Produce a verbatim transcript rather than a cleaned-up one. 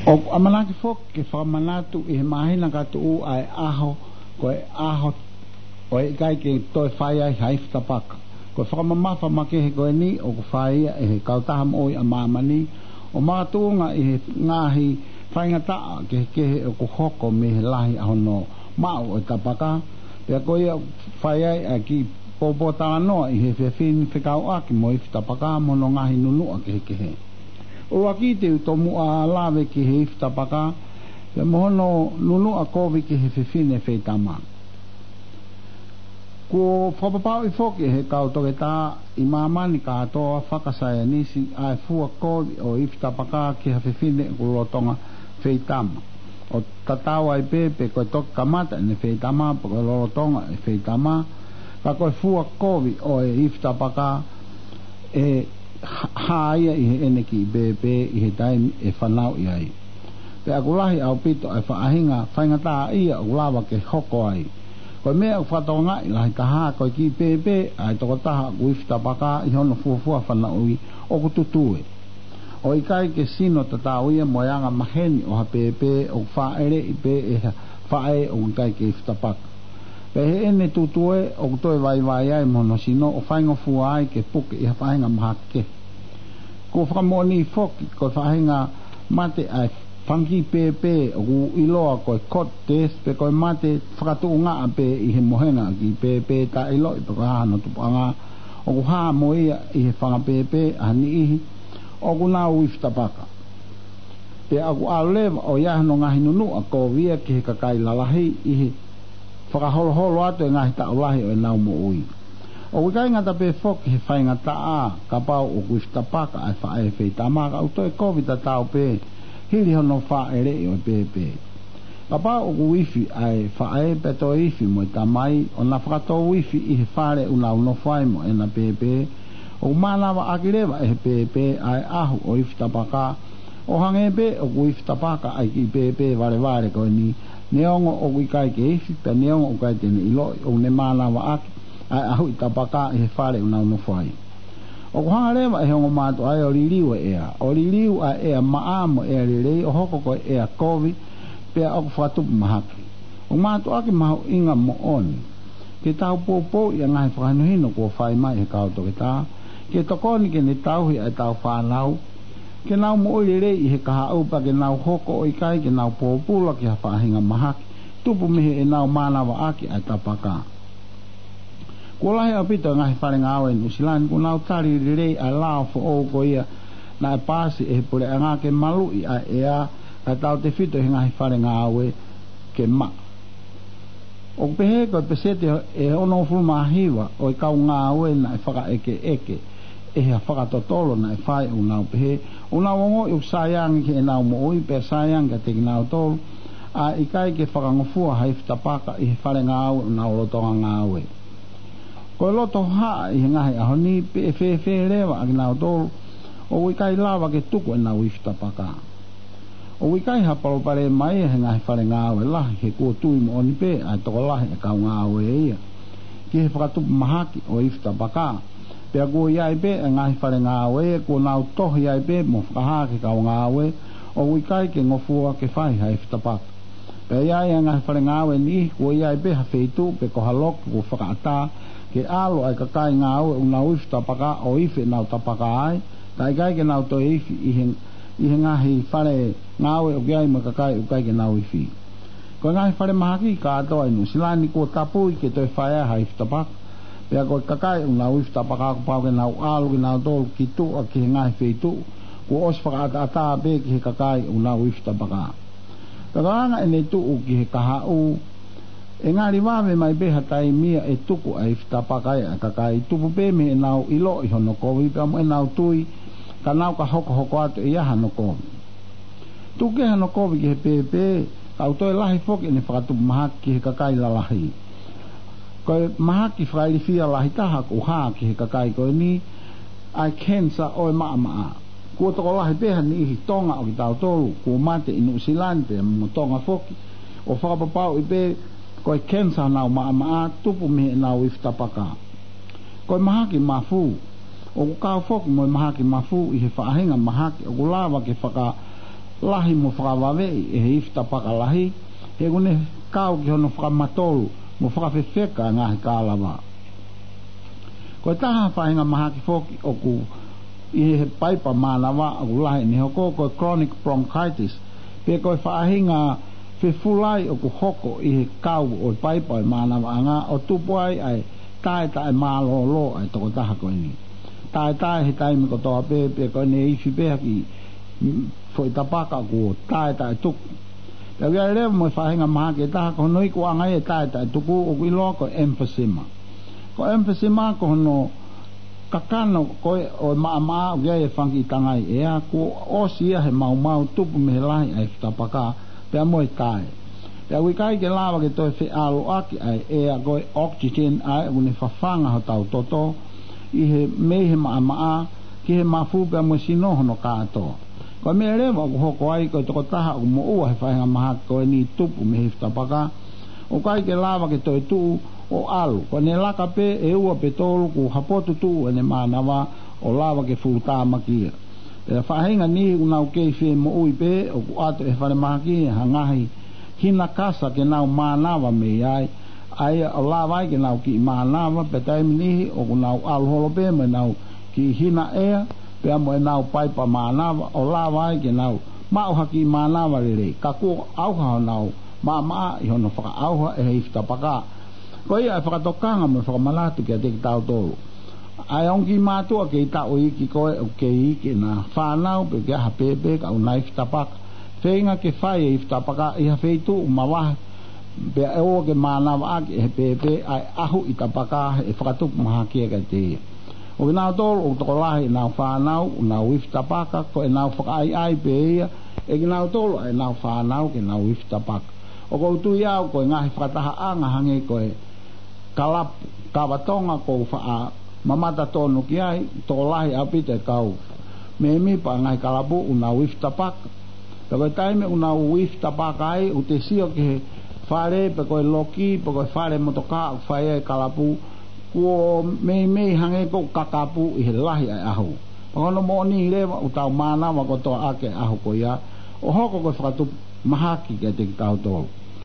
ʻOku ʻamanaki foki ke fakamanatu ʻi he māhina ka tuʻu ʻa e ʻaho, ko e ʻaho ʻo e ʻikai ke toe fai ai ha ifi tapaka. Ko e fakamamafa makehe ko eni ʻoku fai ia ʻe he kautaha moʻui ʻa māmani, ʻo makatuʻunga ʻi he ngaahi faingataʻa kehekehe ʻoku hoko mei he lahi ʻa hono maʻu ʻo e tapaka, pea ko ia ʻoku fai ai ʻa e kiʻi pōpōtalanoa ʻi he efiafi ni fekauʻaki mo e ifi tapaka mo hono ngaahi nunuʻa kehekehe. ʻUluaki te u tomuʻa lave ki he ifi tapaka, pea mo hono nunuʻa kovi ki he fefine feitama. Kuo fakapapauʻi foki ʻe he kau toketā ʻi māmani kātoa fakasaienisi ʻa e fua kovi ʻo e ifi tapaka ki ha fefine ʻoku lolotonga feitama. ʻO tatau ai pē pe ko e toki kamata ʻene feitama pe ko e lolotonga e feitama, ka ko e fua kovi ʻo e ifi tapaka ʻe hā ia ʻi heʻene kiʻi pēpē ʻi he taimi ʻe fanauʻi ai. Pea ʻoku lahi ʻaupito ʻa e faʻahinga faingataʻaʻia ʻoku lava ke hoko ai. Ko e meʻa ʻoku fakatokangaʻi lahi taha ko e kiʻi pēpē ʻa e tokotaha ʻoku ifi tapaka ʻi hono fuofua fanauʻi ʻoku tutue. ʻO ʻikai ke sino tatau ia mo e anga maheni ʻo ha pēpē ʻoku fāʻeleʻi pē ʻe ha faʻē ʻoku ʻikai ke ifi tapaka. Pea ʻi heʻene tutue ʻoku toe vaivai ai mo hono sino ʻo faingofua ai ke puke ʻi ha faʻahinga mahaki kehe. Kuo fakamoʻoni foki ko e faʻahinga mate ʻa e fanga kiʻi pēpē ʻoku ʻiloa ko e cot death pe ko e mate fakatuʻungaʻa pē ʻi he mohenga ʻa e kiʻi pēpē taʻe ʻiloʻi pe ko e hā hono tupuʻanga, ʻoku hā mo ia ʻi he fanga pēpē ʻa ha niʻihi ʻoku nau ifi tapaka. Pea ʻoku ʻalu leva ʻo ʻi ai hono ngaahi nunuʻa kovi ia ki he kakai lalahi ʻi he fakaholoholo atu e ngaahi taʻu lahi ʻo ʻenau moʻui. ʻOku ʻikai ngata pē foki he faingataʻa kapau ʻoku ifi tapaka ʻa e faʻē feitama, ka ʻoku toe kovi tatau pē hili hono fāʻeleʻi ʻo e pēpē. Kapau ʻoku ifi ʻa e faʻē pea toe ifi mo e tamai, ʻo na fakatou ifi ʻi he fale ʻoku nau nofo ai mo ʻena pēpē, ʻoku mānavaʻaki leva ʻe he pēpē ʻa e ʻahu ʻo e ifi tapaka, ʻo hangē pē ʻoku ifi tapaka ʻa e kiʻi pēpē valevale ko eni, neongo ʻoku ʻikai ke ifi, pea neongo ʻoku ʻikai te ne ʻiloʻi, ʻoku ne mānavaʻaki ʻa e ʻahuʻi tapaka ʻi he fale ʻoku nau nofo ai. ʻOku hanga leva ʻe he ongo mātuʻa ia ʻo liliu e ʻea, ʻo liliu ʻa e ʻea maʻa mo e ʻea lelei, ʻo hoko ko e ʻea kovi, pea ʻoku fakatupu mahaki. ʻOku mātuʻaki mahuʻinga moʻoni ke tau poupouʻi ʻa e ngaahi fakahinohino kuo fai mai ʻe he kau toketā, ke tokoni ke ne tauhi ʻa ʻetau fānau ke nau moʻui lelei ʻi he kahaʻu pea ke nau hoko ʻo ʻikai ke nau pōpula ki ha faʻahinga mahaki tupu mei heʻenau mānavaʻaki ʻa e tapaka. Kuo lahi ʻaupito e ngaahi fale ngāue ʻi Nuʻusila ni kuo nau tali lelei ʻa e lao foʻou ko ia naʻe paasi ʻe he puleʻanga ke maluʻi ʻa e ʻea kae tautefito ʻi he ngaahi fale ngāue ke maʻa. ʻOku pehē ko e peseti ʻe onongofulu mā hiva ʻo e kau ngāue naʻe fakaʻekeʻeke ʻe ha fakatotolo naʻe fai, ʻoku nau pehē ʻoku nau ongoʻi ʻoku saiangi ki heʻenau moʻui pea saiangi kiate kinautolu ʻa e ʻikai ke fakangofua ha ifi tapaka ʻi he fale ngāue ʻoku nau lolotonga ngāue. Ko e loto hohaʻa ʻi he ngaahi ʻaho ni pe ʻe fēfē leva ʻa kinautolu ʻoku ʻikai lava ke tuku ʻenau ifi tapaka. ʻOku ʻikai ha palopalema ia he ngaahi fale ngāue lahi, he kuo tui moʻoni pē ʻa e tokolahi e kau ngāue ia ki he fakatupu mahaki ʻo e ifi tapaka. Pea kuo ʻi ai pē e ngaahi fale ngāue ia kuo nau tohi ai pē mo fakahā ki he kau ngāue ʻoku ʻikai ke ngofua ke fai ha ifi tapaka. Pea ʻi ai e ngaahi fale ngāue ʻe niʻihi kuo ʻi ai pē ha feituʻu pe ko ha loki kuo fakaʻatā ke ʻalu ʻa e kakai ngāue ʻoku nau ifi tapaka ʻo ifi ʻenau tapaka ai, kae ʻikai ke nau toe ifi ʻi he, ʻi he ngaahi fale ngāue ʻoku ʻi ai mo e kakai ʻoku ʻikai ke nau ifi. Ko e ngaahi fale mahaki kātoa ʻi Nuʻusila ni kuo tapui ke toe fai ai ha ifi tapaka. Pea ko e kakai ʻoku nau ifi tapaka kuo pau ke nau ʻalu kinautolu ki tuʻa ki he ngaahi feituʻu kuo ʻosi fakaʻataʻatā pē ki he kakai ʻoku nau ifi tapaka. Pea ka hanga ʻene tuʻu ki he kahaʻu, ʻe ngali vave mai pē ha taimi ia ʻe tuku ʻa e ifi tapaka ia ʻa e kakai, tupu pē mei heʻenau ʻiloʻi hono kovi pea mo ʻenau tui ka nau ka hokohoko atu ʻe ʻi ai hano kovi. Tuku kehe hano kovi ki he pēpē, ka ʻoku toe lahi foki ʻene fakatupu mahaki ki he kakai lalahi. Ko e mahaki fakailifia lahi taha ʻoku hā ki he kakai ko eni ʻa e kenisa ʻo e maʻamaʻa. Kuo tokolahi pē ha niʻihi Tonga ʻo kitautolu kuo mate ʻi Nuʻusila ni pea mo Tonga foki, ʻo fakapapauʻi pē ko e kenisa honau maʻamaʻa tupu mei heʻenau ifi tapaka. Ko e mahaki mafu, ʻoku kau foki mo e mahaki mafu ʻi he faʻahinga mahaki ʻoku lava ke faka lahi mo fakavaveʻi ʻe he ifi tapaka lahi, he ʻoku ne kau ki hono fakamatolu mo fakafefeka e ngaahi kālava. Ko e taha faʻahinga mahaki foki ʻoku ʻi he paipa mānava ʻoku lahi ʻene hoko, ko e chronic bronchitis, pe ko e faʻahinga fefulai ʻoku hoko ʻi he kau ʻo e paipa ʻo e mānavaʻanga, ʻo tupu ai ʻa e taʻe taʻemālōlō ʻa e tokotaha ko eni. Taʻetaʻe he taimi kotoa pē, pe ko ʻene ifi pē ha kiʻi, mm, foʻi tapaka kuo taʻetaʻetuku. Pea ʻoku ʻi ai leva mo e faʻahinga mahaki ʻe taha, ko hono ikuʻanga ia e taʻetaʻetuku, ʻoku ʻiloa ko e emphysema. Ko e emphysema ko hono kakano ko ē ʻo e maʻamaʻa ʻoku ʻi ai e fanga kiʻi tangai ʻea, kuo ʻosi ia he maumau, tupu mei he lahi ʻa e ifi tapaka pea mo e taʻe. Pea ʻoku ʻikai ke lava ke toe feʻaluʻaki ʻa e ʻea, ko e oxygen, ʻa ē ʻoku ne fafanga hotau toto ʻi he, mei he maʻamaʻa ki he mafu pea mo e sino hono kātoa. Ko e meʻa leva ʻoku hoko ai, ko e tokotaha ʻoku moʻua he faʻahinga mahaki ko eni, tupu mei he ifi tapaka, ʻoku ʻikai ke lava ke toe tuʻu ʻo ʻalu. Ko ʻene laka pē ʻe ua pe tolu, kuo hapotu tuʻu ʻene mānava ʻo lava ke fuʻu tāmaki ia. Pea faʻahinga niʻihi ʻoku nau kei fie moʻui pē, ʻoku ʻoatu ʻe he falemahaki ha ngaahi hina kasa ke nau mānava mei ai, ʻa ia ʻo lava ai ke nau kiʻi mānava, pea taimi niʻihi ʻoku nau ʻalu holo pē mo ʻenau kiʻi hina ʻea pea mo ʻenau paipa mānava, ʻo lava ai ke nau maʻu ha kiʻi mānava lelei, ka kuo ʻauha honau maʻamaʻa ʻi hono fakaʻauha ʻe he ifi tapaka. Ko ia e fakatokanga mo e fakamanatu kiate kitautolu. ʻA e ongo kiʻi mātuʻa kei taʻu iiki ko ē ʻoku kei iiki ʻena fānau pe ʻoku ʻi ai ha pēpē ka ʻoku na ifi tapaka, feinga ke fai e ifi tapaka ʻi ha feituʻu mavahe, pea ʻoua ke mānavaʻaki ʻe he pēpē ʻa e ʻahuʻi tapaka, he ʻe fakatupu mahaki ia kiate ia. ʻO kinautolu ʻoku tokolahi ʻenau fānau ʻoku nau ifi tapaka, ko ʻenau fakaʻaiʻai pē ia ʻe kinautolu ʻa ʻenau fānau ke nau ifi tapaka. ʻOku ou tui au ko e ngaahi fakatahaʻanga hangē ko e kalapu kava Tonga ʻoku ou faʻa mamata tonu ki ai, tokolahi ʻaupito e kau mēmipa ʻa e ngaahi kalapu ʻoku nau ifi tapaka. Pea ko e taimi ʻoku nau ifi tapaka ai, ʻoku te sio ki he fale, pe ko e loki, pe ko e fale motokā ʻoku fai ai e kalapu, kuo meimei hangē ʻoku kakapu ʻi he lahi ʻa e ʻahu. Pea ko hono moʻoni leva, ʻoku tau mānava kotoa ʻaki e ʻahu ko ia, ʻo hoko ko e fakatupu mahaki kiate kitautolu.